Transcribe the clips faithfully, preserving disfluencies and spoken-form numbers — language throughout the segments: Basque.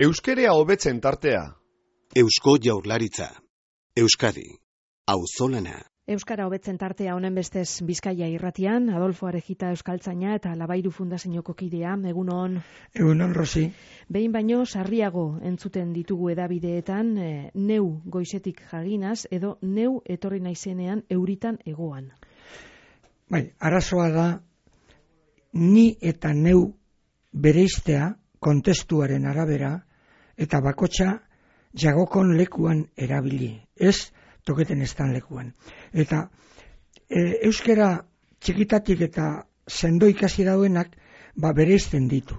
Euskerea hobetzen tartea. Eusko Jaurlaritza. Euskadi. Auzolana. Euskara hobetzen tartea honen bestez Bizkaia irratian, Adolfo Arejita euskaltzaina eta Labairu Fundazioko kidea, egunon. Egunon, Rosi. Behin baino sarriago entzuten ditugu edabideetan, e, neu goizetik jaginaz edo neu etorri naizenean euritan egoan. Bai, arazoa da ni eta neu bereiztea kontestuaren arabera eta bakotxa jagokon lekuan erabili. Ez toketen estan lekuan. Eta e, euskera txikitatik eta sendo ikasi dauenak ba, bereizten ditu.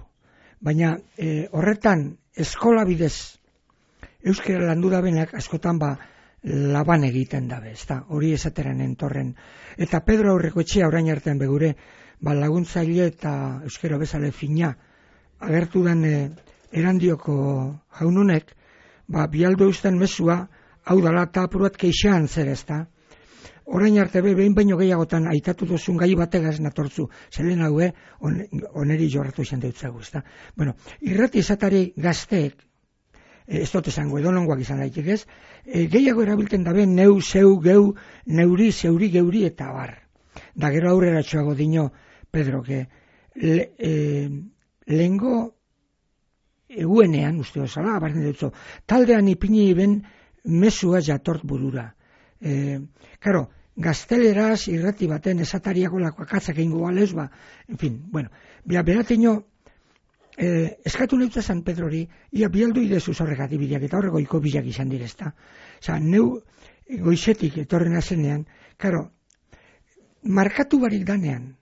Baina e, horretan eskola bidez euskera landu dabenak askotan ba, laban egiten dabe. Ezta? Hori esateren entorren. Eta Pedro Aurrekoetxea orain artean begure ba, laguntzaile eta euskera bezale fina agertu den e, erandioko jaununek ba, bialdo eusten mezua hau dala eta apurat keixan zer ezta. Orain arte be, behin baino gehiagotan aitatu duzun gai bategaz natortzu, zelen haue on, oneri jorratu izan deutzagu, ezta. Bueno, irrati esatari gazteek, e, ez dut esango edonongoak izan daitek ez, e, gehiago erabilten dabe neu, zeu, geu, neuri, zeuri, geuri eta bar. Da gero aurrera txoago dino, Pedro, que le, e, lehengo eguenean, uste osala, abartzen dutzo, taldean ipini ben mesua jatort burura. E, karo, gazteleraz irrati baten esatariako lakoakatzak egingo galez, ba, en fin, bueno, bia beratino, e, eskatu neutza San Pedrori, ia bialdu idezu zorrek adibideak, eta horrego iko bilak izan direzta. Osa, neu goizetik etorren azenean, karo, markatu barik danean,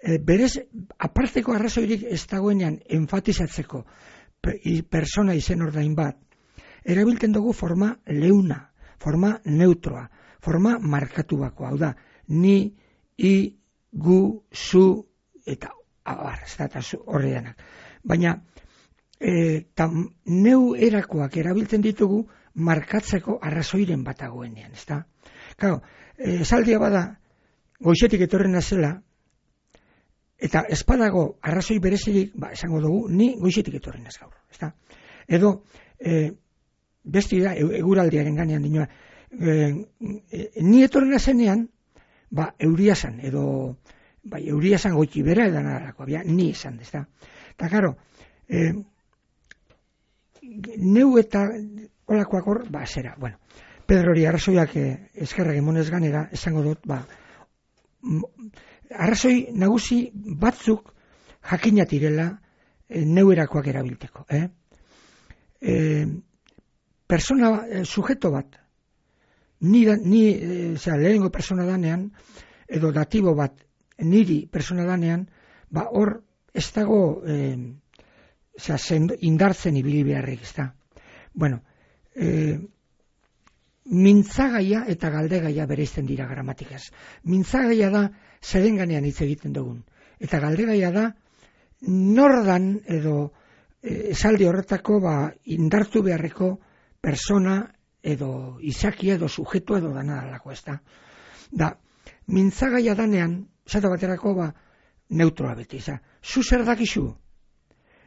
e, berez, aparteko arrazoirik ez dagoenean enfatizatzeko persona izen ordain bat, erabiltzen dugu forma leuna, forma neutroa, forma markatu bako, hau da, ni, i, gu, zu, eta abar, ez da, eta horre denak. Baina, e, tam, neu erakoak erabiltzen ditugu markatzeko arrazoiren bat dagoenean, ez da? Claro, e, esaldia bada, goizetik etorren azela, eta espadago arrazoi berezirik, ba, esango dugu, ni goizetik etorren az gaur, ez da? Edo, e, besti da, eguraldiaren ganean dinoa, e, e, ni etorren azenean, ba, euria zan, edo, ba, euria zan goiti bera edan arako, bia, ni izan, ez da? Eta, karo, e, neu eta olakoak hor, ba, zera, bueno, Pedro hori arrazoiak e, eskerrak emonez ganera, esango dut, ba, arrazoi nagusi batzuk jakinatirela e, neuerakoak erabilteko. Eh? E, persona, e, sujeto bat, ni, da, ni e, zera, lehengo persona danean, edo datibo bat niri persona danean, ba hor ez dago e, zera, zend, indartzen ibili beharrik, ez da. Bueno, e, mintzagaia eta galdegaia bereizten dira gramatikaz. Mintzagaia da zerenganean hitz egiten dugun. Eta galdegaia da nordan edo e, esaldi horretako ba, indartu beharreko persona edo izakia edo sujetu edo danadalako, ez da. Da, mintzagaia danean, esate baterako ba, neutroa beti, za. Zu zer dakizu?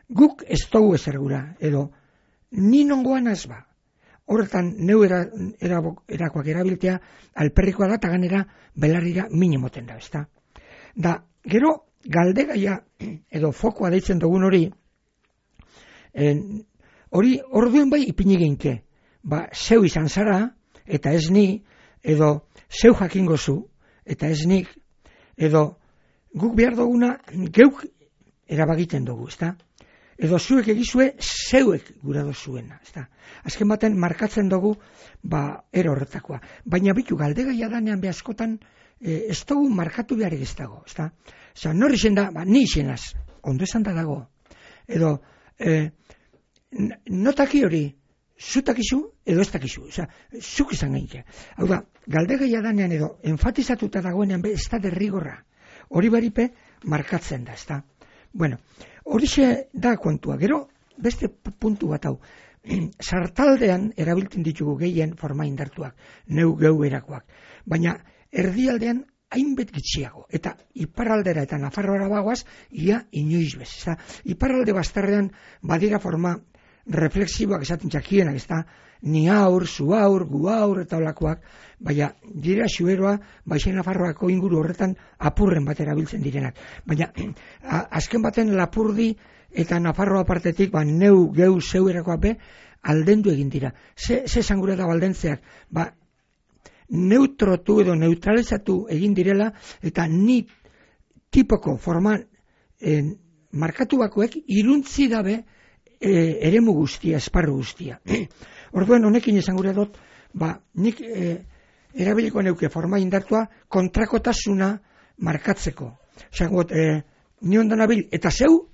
Guk ez dugu ezer gura, edo ni nongoan az ba. Horretan, neu era, era, erakoak erabiltea, alperrikoa da, eta ganera belarrira minimoten da, ezta? Da, gero, galdegaia, edo fokoa deitzen dugun hori, en, hori, orduen bai ipini genke, ba, zeu izan zara, eta ez ni, edo zeu jakingo zu, eta ez nik, edo guk behar duguna, geuk erabagiten dugu, ezta? Edo zuek egizue, zeuek gura dozuena, ezta? Azken baten markatzen dugu, ba, ero horretakoa. Baina bitu, galdegaia danean behaskotan, e, ez dugu markatu beharrik ez dago, ezta? Osa, nor izen da, ba, ni izenaz, ondo esan da dago. Edo, e, notaki hori, zutakizu, edo ez dakizu, osa, zuk izan gainke. Hau da, galdegaia danean edo, enfatizatuta dagoenean, be, ez da derrigorra. Hori baripe, markatzen da, ezta? Bueno, horixe da kontua. Gero, beste puntu bat hau. Sartaldean erabiltzen ditugu gehien forma indartuak, neu geu erakoak. Baina erdialdean hainbet gitxiago. Eta iparraldera eta Nafarroara bagoaz, ia inoiz bez. Iparralde bastarrean badira forma reflexiboak esaten txakienak, ez da, ni aur, zu aur, gu aur, eta olakoak, baina dira xueroa, Baixen Nafarroako inguru horretan apurren bat erabiltzen direnak. Baina azken baten Lapurdi eta Nafarroa partetik, ba, neu, geu, zeu erakoa be, aldendu egin dira. Ze, ze zangure da baldentzeak, ba, neutrotu edo neutralizatu egin direla, eta ni tipoko forman eh, markatu bakoek iruntzi dabe eh, eremu guztia, esparru guztia. Orduan honekin esan gure dut, ba, nik eh, erabiliko neuke forma indartua kontrakotasuna markatzeko. Osa, got, eh, ni ondan abil, eta zeu,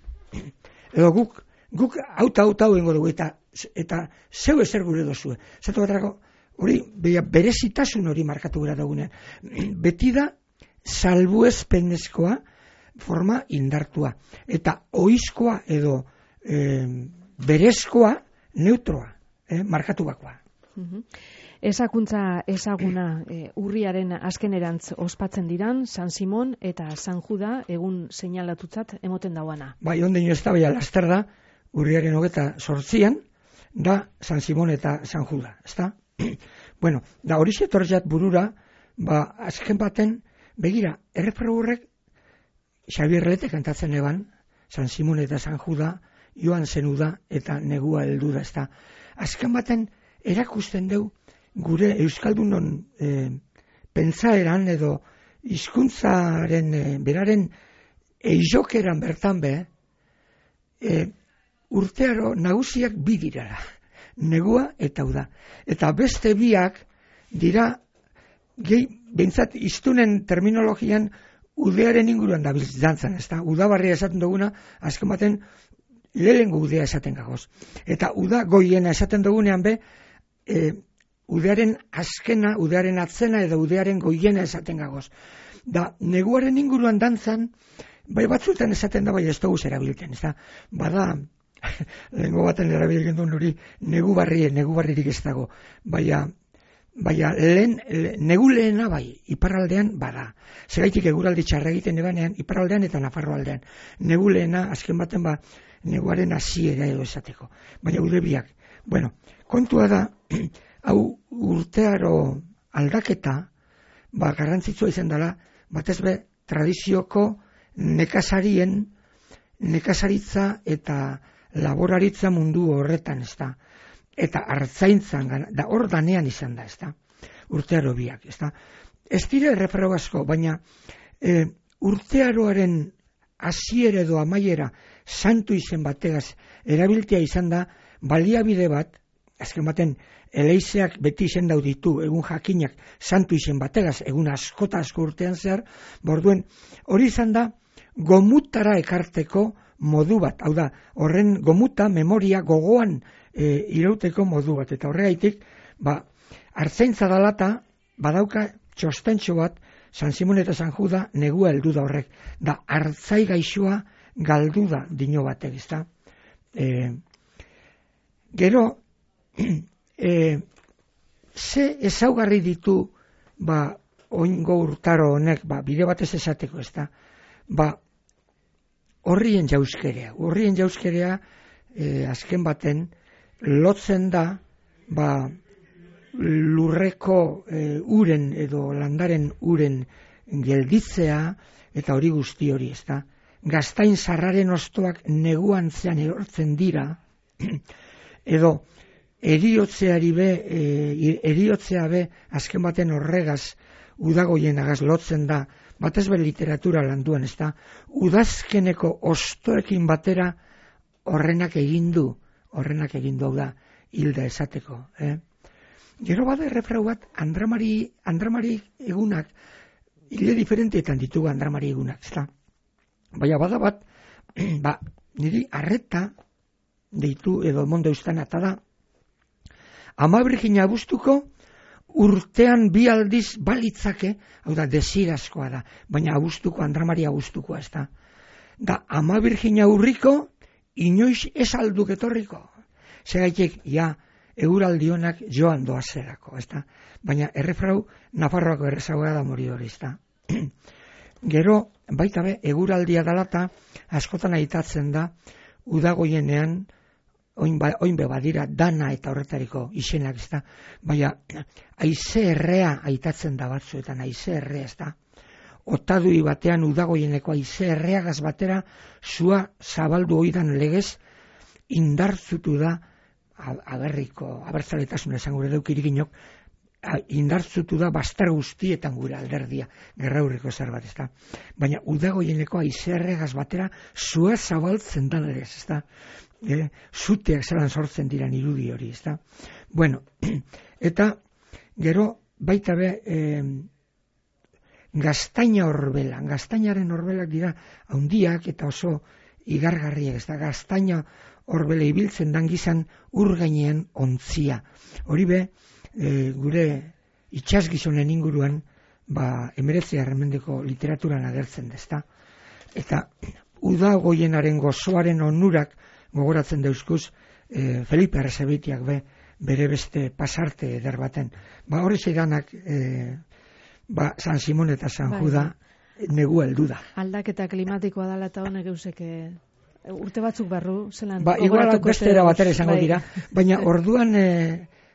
edo guk, guk auta auta hau dugu, eta, eta zeu ezer gure dozue. Zatu batrako, hori, berezitasun hori markatu gara dagunean. Beti da, salbuespenezkoa forma indartua. Eta oizkoa edo eh, berezkoa neutroa, eh, markatu bakoa. Uh-huh. Ezakuntza ezaguna e, urriaren azkenerantz ospatzen diran, San Simon eta San Juda egun seinalatutzat emoten dauana. Bai, onden ez da, bai, laster da, urriaren hogeta sortzian, da San Simon eta San Juda, ez da? Bueno, da hori zetortzat burura, ba, azken baten, begira, erreferu horrek, Xabier Lete kantatzen eban, San Simon eta San Juda, joan zenuda eta negua heldu da, ez da? Azken baten, erakusten deu, gure Euskaldunon e, pentsaeran edo hizkuntzaren e, beraren eizokeran bertan be, e, urtearo nagusiak bi dirara, negua eta uda. Eta beste biak dira, gehi, behintzat iztunen terminologian udearen inguruan da dantzan, ez da, udabarria esaten duguna, azken baten lehengo udea esaten gagoz. Eta uda goiena esaten dugunean be, e, udearen azkena, udearen atzena edo udearen goiena esaten gagoz. Da, neguaren inguruan dantzan, bai batzutan esaten da, bai ez dugu erabiltzen, ez da, bada, lehengo baten erabiltzen duen hori, negu barrie, negu barririk ez dago, baina, baina lehen, le, negu lehena bai, iparraldean bada. Zegaitik eguraldi txarra egiten ebanean, iparraldean eta Nafarroaldean. Negu lehena, azken baten ba, neguaren hasiera edo esateko. Baina ude biak. Bueno, kontua da, hau urtearo aldaketa, ba, garrantzitsua izan dela, batez be, tradizioko nekazarien, nekazaritza eta laboraritza mundu horretan, ez da. Eta hartzaintzan, da hor danean izan da, ez da. Urtearo biak, ez da. Ez dira errefero asko, baina e, urtearoaren hasiera edo amaiera santu izen bategaz erabiltea izan da, baliabide bat, azken baten, eleizeak beti izen ditu, egun jakinak santu izen bategaz, egun askota asko urtean zehar, borduen, hori izan da, gomutara ekarteko modu bat, hau da, horren gomuta, memoria, gogoan e, irauteko modu bat, eta horregaitik, ba, hartzaintza dalata, badauka txostentxo bat, San Simon eta San Juda negua heldu da horrek, da hartzai gaixoa galdu da dino batek, ez da. E, gero, e, ze ezaugarri ditu, ba, oingo urtaro honek, ba, bide batez esateko, ez da, ba, horrien jauzkerea, horrien jauzkerea, e, azken baten, lotzen da, ba, lurreko e, uren edo landaren uren gelditzea eta hori guzti hori, ez da. Gaztain zarraren ostoak neguantzean erortzen dira, edo eriotzeari be, e, eriotzea be, azken baten horregaz, udagoienagaz lotzen da, batez be literatura landuan, ez da. Udazkeneko ostoekin batera horrenak egindu, horrenak egindu hau da, hilda esateko, eh? Gero bada errefrau bat, Andramari, Andramari egunak, hile diferenteetan ditugu Andramari egunak, ez da. Baina bada bat, ba, niri arreta deitu edo mondo eustan eta da, Ama Virgina Abuztuko urtean bi aldiz balitzake, hau da, desirazkoa da, baina Abuztuko, Andramari Abuztukoa, ez da. Da, Ama Virgina Urriko, inoiz ez alduk etorriko. Segaitek, ja, eguraldionak joan doazerako, ez da? Baina errefrau Nafarroako errezagoa da mori hori, ez da? Gero, baita be, eguraldia dalata, askotan aitatzen da, udagoienean, oin, ba, oin be badira dana eta horretariko izenak, ez da, baina haize errea aitatzen da batzuetan, haize errea, ez da, otadui batean udagoieneko haize erreagaz batera, zua zabaldu oidan legez, indartzutu da, aberriko, abertzaletasun esan gure deukiriginok, indartzutu da bastar guztietan gure alderdia, gerraurriko zer bat, ez da. Baina udagoieneko haize erreagaz batera, zua zabaltzen da legez, ez da. E, zuteak zelan sortzen diran irudi hori, ez da. Bueno, eta gero baita be, e, gaztaina horbela, gaztainaren horbelak dira handiak eta oso igargarriak, ez da, gaztaina horbele ibiltzen dan gizan ur gainean ontzia. Hori be, e, gure itxasgizonen inguruan, ba, emeretzi arremendeko literaturan agertzen da, ez da. Eta udagoienaren gozoaren onurak gogoratzen dauzkuz, e, Felipe Arrasabitiak be, bere beste pasarte eder baten. Ba, hori zeidanak, e, ba, San Simon eta San bai, Juda negu heldu da. Aldaketa klimatikoa dala eta honek euseke urte batzuk barru, zelan... Ba, igual beste era batera izango bai. Dira, baina orduan... E,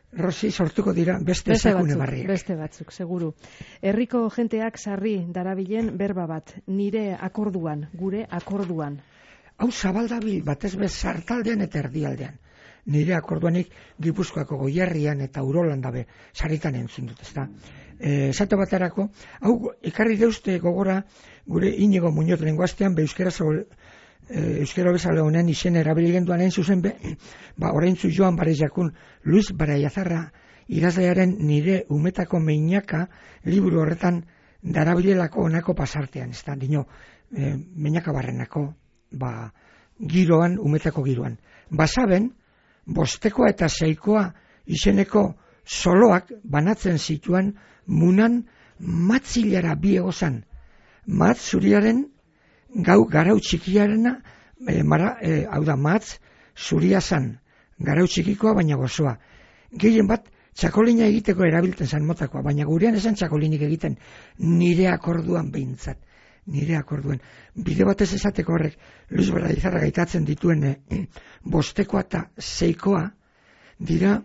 Rosi, sortuko dira beste ezakune barriak. Beste batzuk, seguru. Herriko jenteak sarri darabilen berba bat, nire akorduan, gure akorduan. Hau zabaldabil batez bez sartaldean eta erdialdean. Nire akorduanik Gipuzkoako Goierrian eta Urolan dabe, sarritan entzun dut, ezta. E, esate baterako, hau ekarri deuzte gogora gure Inigo Muñoz lenguastean be euskera zol, euskero bezala honen izen erabiligen duanen zuzen be, ba, oraintzu Joan Barejakun, Luis Baraiazarra idazlearen nire umetako meinaka liburu horretan darabilelako onako pasartean, ez da, dino, e, meinaka barrenako, ba, giroan, umetako giroan. Basaben, bostekoa eta seikoa izeneko soloak banatzen zituan munan matzilara bi egozan, mat zuriaren gau garau txikiarena, e, mara, e, hau da matz, zuria zan, garau txikikoa baina gozoa. Gehien bat, txakolina egiteko erabiltzen zan motakoa, baina gurean esan txakolinik egiten, nire akorduan behintzat, nire akorduan. Bide batez esateko horrek, Luis Baraiazarra gaitatzen dituen e, bostekoa eta seikoa, dira,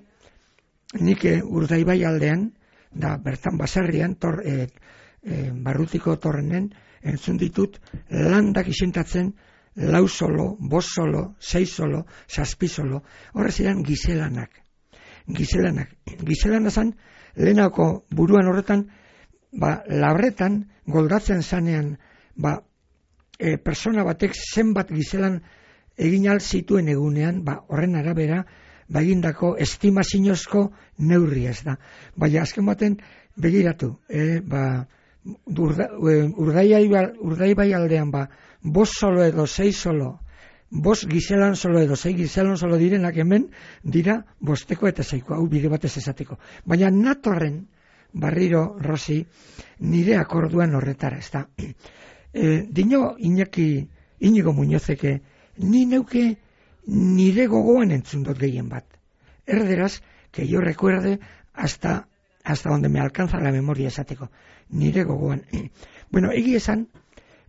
nik e, Urdaibai aldean, da bertan baserrian, tor, e, e, barrutiko torrenen, entzun ditut, landak isentatzen, lau solo, bos solo, sei solo, zazpi solo, horrez ziren gizelanak. Gizelanak. Gizelana zan, lehenako buruan horretan, ba, labretan, goldatzen zanean, ba, e, persona batek zenbat gizelan egin al zituen egunean, ba, horren arabera, ba, egindako estimazinozko neurri ez da. Baina azken baten, begiratu, e, ba, Urda, urdaibai, urdaibai aldean ba, bos solo edo sei solo, bos gizelan solo edo sei gizelan solo direnak hemen dira bosteko eta seiko, hau bide batez esateko. Baina natorren, barriro, Rosi, nire akorduan horretara, ez da. E, dino Iñaki, Inigo Muñozeke, ni neuke nire gogoan entzun dut gehien bat. Erderaz, que yo recuerde hasta, hasta donde me alcanza la memoria esateko. Nire gogoan. Bueno, egi esan,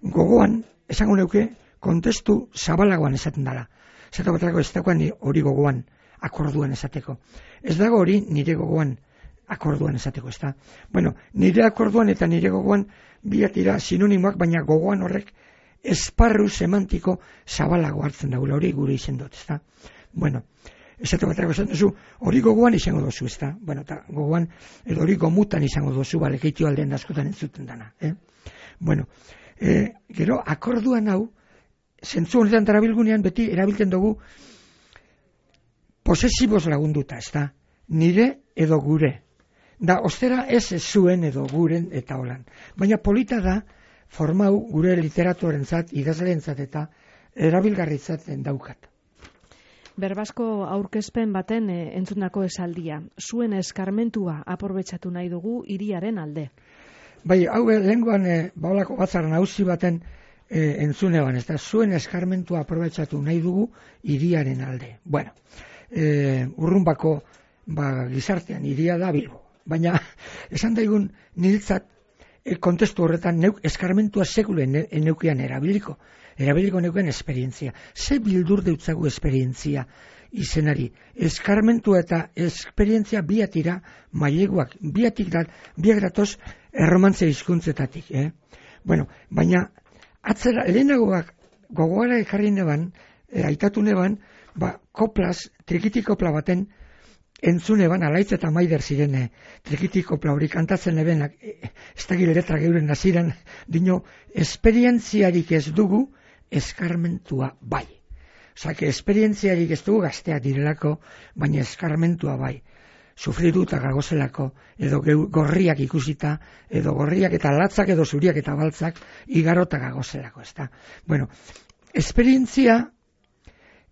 gogoan, esango neuke, kontestu zabalagoan esaten dela. Zato baterako ez dagoan hori gogoan, akorduan esateko. Ez dago hori nire gogoan, akorduan esateko, ez da. Bueno, nire akorduan eta nire gogoan biatira sinonimoak, baina gogoan horrek esparru semantiko zabalago hartzen dagoela, hori gure izen dut, ez da. Bueno, esate baterako esan duzu, hori gogoan izango dozu, ez da. Bueno, eta gogoan, edo hori gomutan izango dozu, bale, keitio aldean askotan entzuten dana. Eh? Bueno, e, gero, akorduan hau, zentzu honetan darabilgunean beti erabiltzen dugu posesiboz lagunduta, ez da. Nire edo gure. Da, ostera ez zuen edo guren eta holan. Baina polita da, formau gure literaturentzat, idazleentzat eta erabilgarritzaten daukat. Berbasko aurkezpen baten e, entzundako esaldia. Zuen eskarmentua aprobetzatu nahi dugu hiriaren alde. Bai, hau lehenguan e, baolako batzar nagusi baten e, entzunean, ez da, zuen eskarmentua aprobetzatu nahi dugu hiriaren alde. Bueno, e, urrunbako ba, gizartean hiria da Bilbo. Baina, esan daigun niretzat e, kontestu horretan neuk eskarmentua sekulen eneukian erabiliko. Erabiliko neuken esperientzia. Ze bildur deutzagu esperientzia izenari. Eskarmentua eta esperientzia biatira maileguak, biatik da, biak datoz erromantze hizkuntzetatik. Eh? Bueno, baina atzera, lehenagoak gogoara ekarri neban, e, aitatu neban, ba, koplaz, trikitikopla baten entzune ban, alaitz eta maider ziren e, trikitikopla hori kantatzen ebenak, e, ez da gileretra geuren naziren, dino, esperientziarik ez dugu, eskarmentua bai. Osake, esperientziarik ez dugu gazteak direlako, baina eskarmentua bai. Sufriduta gagozelako, edo gorriak ikusita, edo gorriak eta latzak, edo zuriak eta baltzak, igarota gagozelako, ez da. Bueno, esperientzia,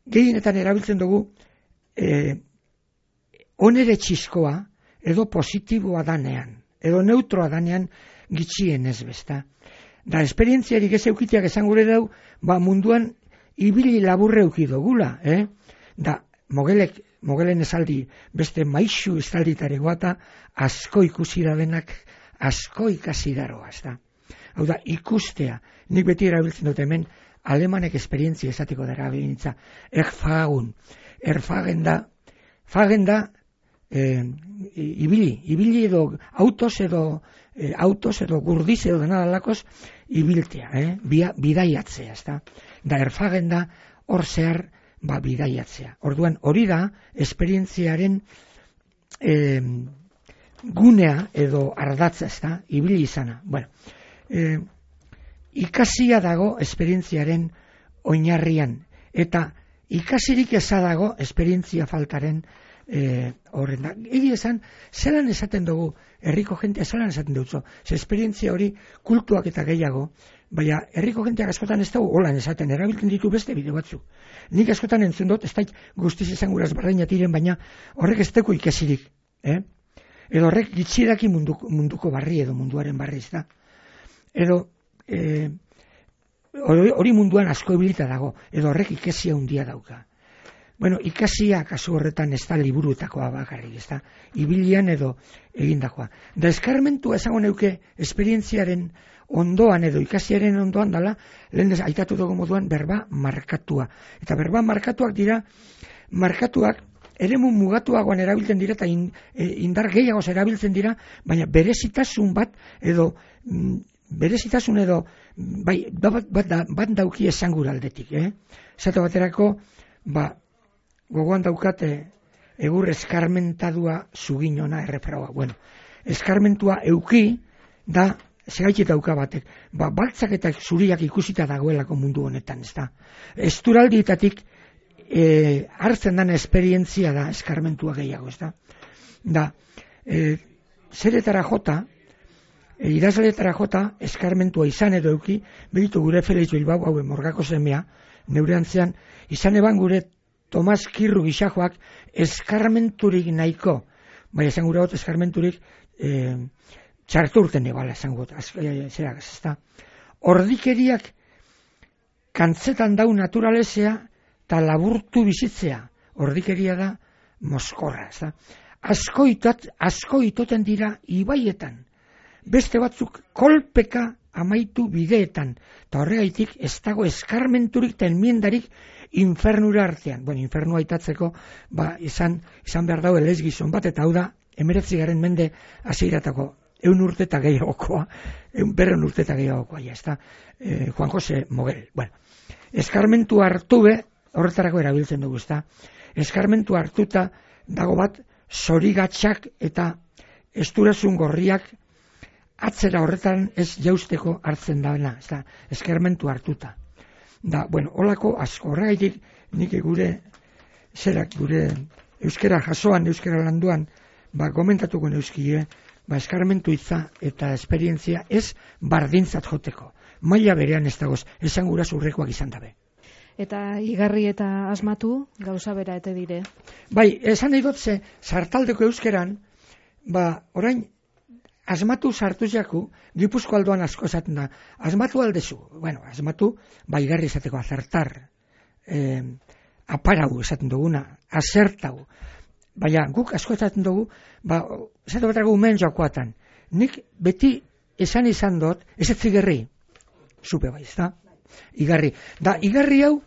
gehienetan erabiltzen dugu, eh, onere txiskoa, edo positiboa danean, edo neutroa danean, gitxien ez besta. Da, esperientziarik ez eukiteak esan gure dau, ba munduan ibili laburre eukidogula, eh? Da, mogelek, mogelen esaldi, beste maixu estalditare guata, asko ikusi da denak, asko ikasi daroa, ez da. Hau da, ikustea, nik beti erabiltzen dut hemen, alemanek esperientzia esatiko dara behintza, erfagun, erfagen da, fagen da, eh, ibili, ibili edo autos edo, eh, autos edo gurdiz edo denadalakos, ibiltea, eh? Bia, bidaiatzea, ez da. Da, erfagen da, hor zehar, ba, bidaiatzea. Orduan, hori da, esperientziaren eh, gunea edo ardatza, ez da, ibili izana. Bueno, eh, ikasia dago esperientziaren oinarrian, eta ikasirik eza dago esperientzia faltaren eh, horren da. Egi esan, zelan esaten dugu, herriko jentea zelan esaten dutzo, ze esperientzia hori kultuak eta gehiago, baina herriko jenteak askotan ez dugu holan esaten, erabiltzen ditu beste bide batzu. Nik askotan entzun dut, ez da guztiz esan guraz barreina tiren, baina horrek ez teko ikesirik. Eh? Edo horrek gitxiraki munduko, munduko barri edo munduaren barri ez da. Edo eh, hori munduan asko ebilita dago, edo horrek ikesia handia dauka. Bueno, ikasia kasu horretan ez da liburuetakoa bakarrik, ez da, ibilian edo egindakoa. Da eskarmentua esango neuke esperientziaren ondoan edo ikasiaren ondoan dala, lehen aitatu dugu moduan berba markatua. Eta berba markatuak dira, markatuak eremu mugatuagoan erabiltzen dira eta indar gehiagoz erabiltzen dira, baina berezitasun bat edo berezitasun edo bai, bat, bat, bat dauki esangura aldetik. Eh? Zato baterako, ba, gogoan daukate egur eskarmentadua zuginona errefraua. Bueno, eskarmentua euki da segaitik dauka batek. Ba, baltzak eta zuriak ikusita dagoelako mundu honetan, ez da. Esturaldietatik e, hartzen den esperientzia da eskarmentua gehiago, ez da. Da, e, zeretara jota, e, idazletara jota, eskarmentua izan edo euki, begitu gure Felix Bilbao, haue morgako semea, neure antzean, izan eban gure Tomas Kirru gixajoak eskarmenturik nahiko, bai esan gure hot eskarmenturik e, txartu urten ebala esan gure, zera, ez da. Ordikeriak kantzetan dau naturalezea eta laburtu bizitzea, ordikeria da moskorra, ez da. Asko, itot, asko itoten dira ibaietan, beste batzuk kolpeka amaitu bideetan, eta horregaitik ez dago eskarmenturik eta enmiendarik infernura artean. Bueno, infernua aitatzeko, ba, izan, izan behar dago elez gizon bat, eta hau da, emeretzigaren mende hasieratako eun urte eta gehiagokoa, eun berren urte eta gehiagokoa, ja, ez da, eh, Juan Jose Mogel. Bueno, eskarmentu hartu be, horretarako erabiltzen dugu, ez da, eskarmentu hartuta dago bat, zorigatxak eta esturasun gorriak atzera horretan ez jausteko hartzen daena, ez da, eskarmentu hartuta. Da, bueno, holako asko horregaitik nik gure zerak gure euskera jasoan, euskera landuan, ba, komentatuko neuzkie, ba, eskarmentu hitza eta esperientzia ez bardintzat joteko. Maila berean ez dagoz, esan gura zurrekoak izan dabe. Eta igarri eta asmatu, gauza bera ete dire. Bai, esan nahi dut ze, sartaldeko euskeran, ba, orain, asmatu sartu jaku, Gipuzko aldoan asko esaten da, asmatu aldezu, bueno, asmatu, ba, igarri esateko, azartar, eh, aparau esaten duguna, azertau, baina guk asko esaten dugu, ba, esatu batako umen joakoatan, nik beti esan izan dut, ez ez zigerri, supe bai, ez da, igarri, da, igarri hau,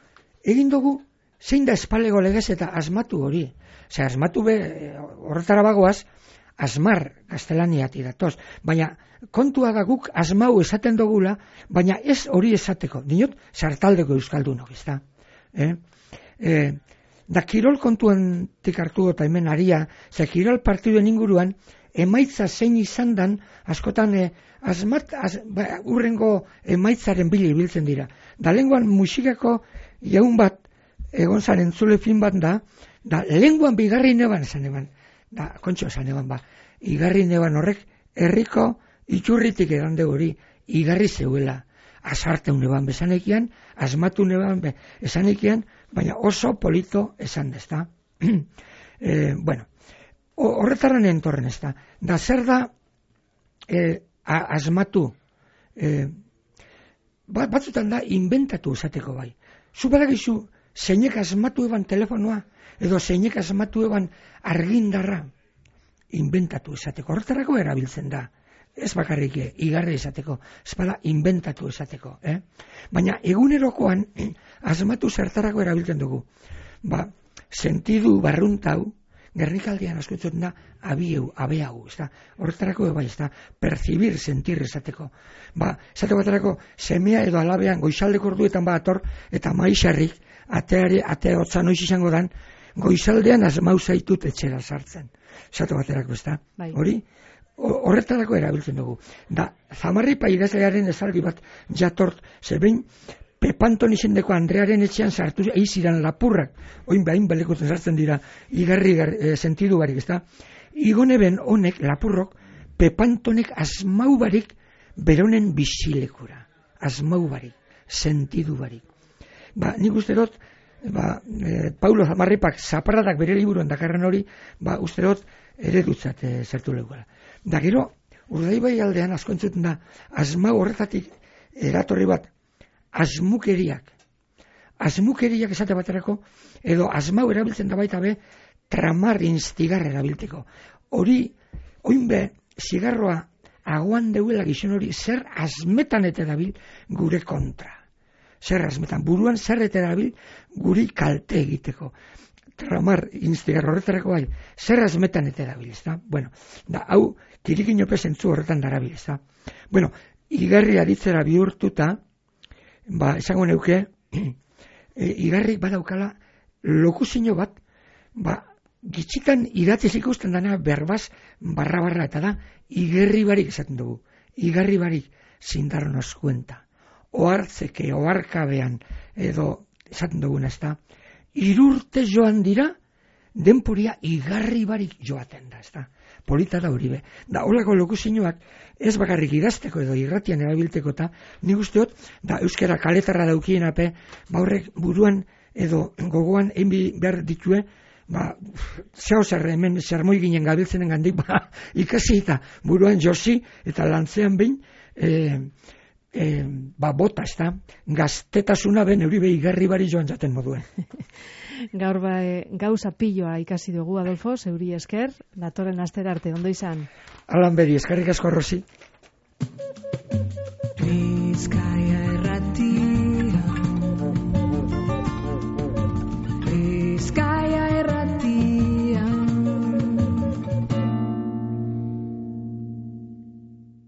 egin dugu, zein da espalego legez eta asmatu hori. Ose, asmatu be, horretara bagoaz, asmar gaztelaniati datoz. Baina kontua da guk asmau esaten dugula, baina ez hori esateko. Dinot, sartaldeko euskaldunok, ez da. Eh? Eh, da kirol kontuan tikartu eta hemen aria, ze kirol partiduen inguruan, emaitza zein izan dan, askotan eh, asmat, az, ba, urrengo emaitzaren bili biltzen dira. Da lenguan musikako jaun bat, egon zan entzule fin bat da, da lenguan bigarri neban esan eban, da kontxo esan eban ba, igarri neban horrek herriko itxurritik edan de hori, igarri zeuela, asarteun eban bezanekian, asmatu neban be, esanekian, baina oso polito esan dezta. e, bueno, horretaran entorren ez da. Da zer da eh, asmatu, eh, bat, batzutan da inventatu esateko bai. Zu badakizu zeinek asmatu eban telefonoa, edo zeinek asmatu eban argindarra, inventatu esateko. Horretarako erabiltzen da. Ez bakarrik igarri esateko, ez bada inventatu esateko. Eh? Baina egunerokoan asmatu zertarako erabiltzen dugu. Ba, sentidu barruntau, Gernikaldian askotzen da abieu, abeau, ez da. Horretarako bai, ez da, percibir, sentir esateko. Ba, esateko baterako, semea edo alabean goizaldeko orduetan ba ator, eta maixarrik, ateare, atea hotza noiz izango dan, goizaldean asmau zaitut etxera sartzen. Esateko baterako, ez da. Bai. Hori, horretarako erabiltzen dugu. Da, Zamarripa idazlearen esaldi bat jatort, zebein, Pepanton izendeko Andrearen etxean sartu eiziran lapurrak, oin behain belekutzen sartzen dira, igarri e, sentidu barik, ez da? Igoneben honek, lapurrok, Pepantonek asmau barik beronen bizilekura. Asmau barik, sentidu barik. Ba, nik uste dut, ba, e, Paulo Zamarripak zaparradak bere liburuan dakarren hori, ba, uste dut eredutzat e, zertu legura. Da gero, Urdaibai aldean asko entzuten da, asmau horretatik eratorri bat, asmukeriak. Asmukeriak esate baterako, edo asmau erabiltzen da baita be, tramar instigar erabilteko. Hori, oinbe, zigarroa aguan deuela gizon hori, zer asmetan eta dabil gure kontra. Zer asmetan, buruan zer eta dabil guri kalte egiteko. Tramar instigar horretarako bai, zer asmetan eta dabil, ez da? Bueno, da, hau, kirikinope zentzu horretan darabil, ez da? Bueno, igarri aditzera bihurtuta, ba, esango neuke, e, igarrik badaukala lokuzio bat, ba, gitxitan idatziz ikusten dana berbaz barra-barra, eta da, igarri barik esaten dugu. Igarri barik zindarron oskuenta. Oartzeke, oarkabean, edo esaten duguna, ez da, irurte joan dira, denporia igarri barik joaten da, ez da. Polita da hori be. Da, holako lokuzioak ez bakarrik idazteko edo irratian erabilteko eta nik usteot, da euskara kaletarra daukien ape, ba horrek buruan edo gogoan enbi behar ditue, ba, zeo zer hemen zermoi ginen gabiltzenen gandik, ba, ikasi eta buruan josi eta lantzean behin, e, e, ba, bota, ez da, gaztetasuna ben euri behi garri bari joan jaten moduen. Gaur ba, e, gauza pilloa ikasi dugu, Adolfo, zeuri esker, datorren astera arte, ondo izan? Alan bedi, eskerrik asko, Rosi. Sky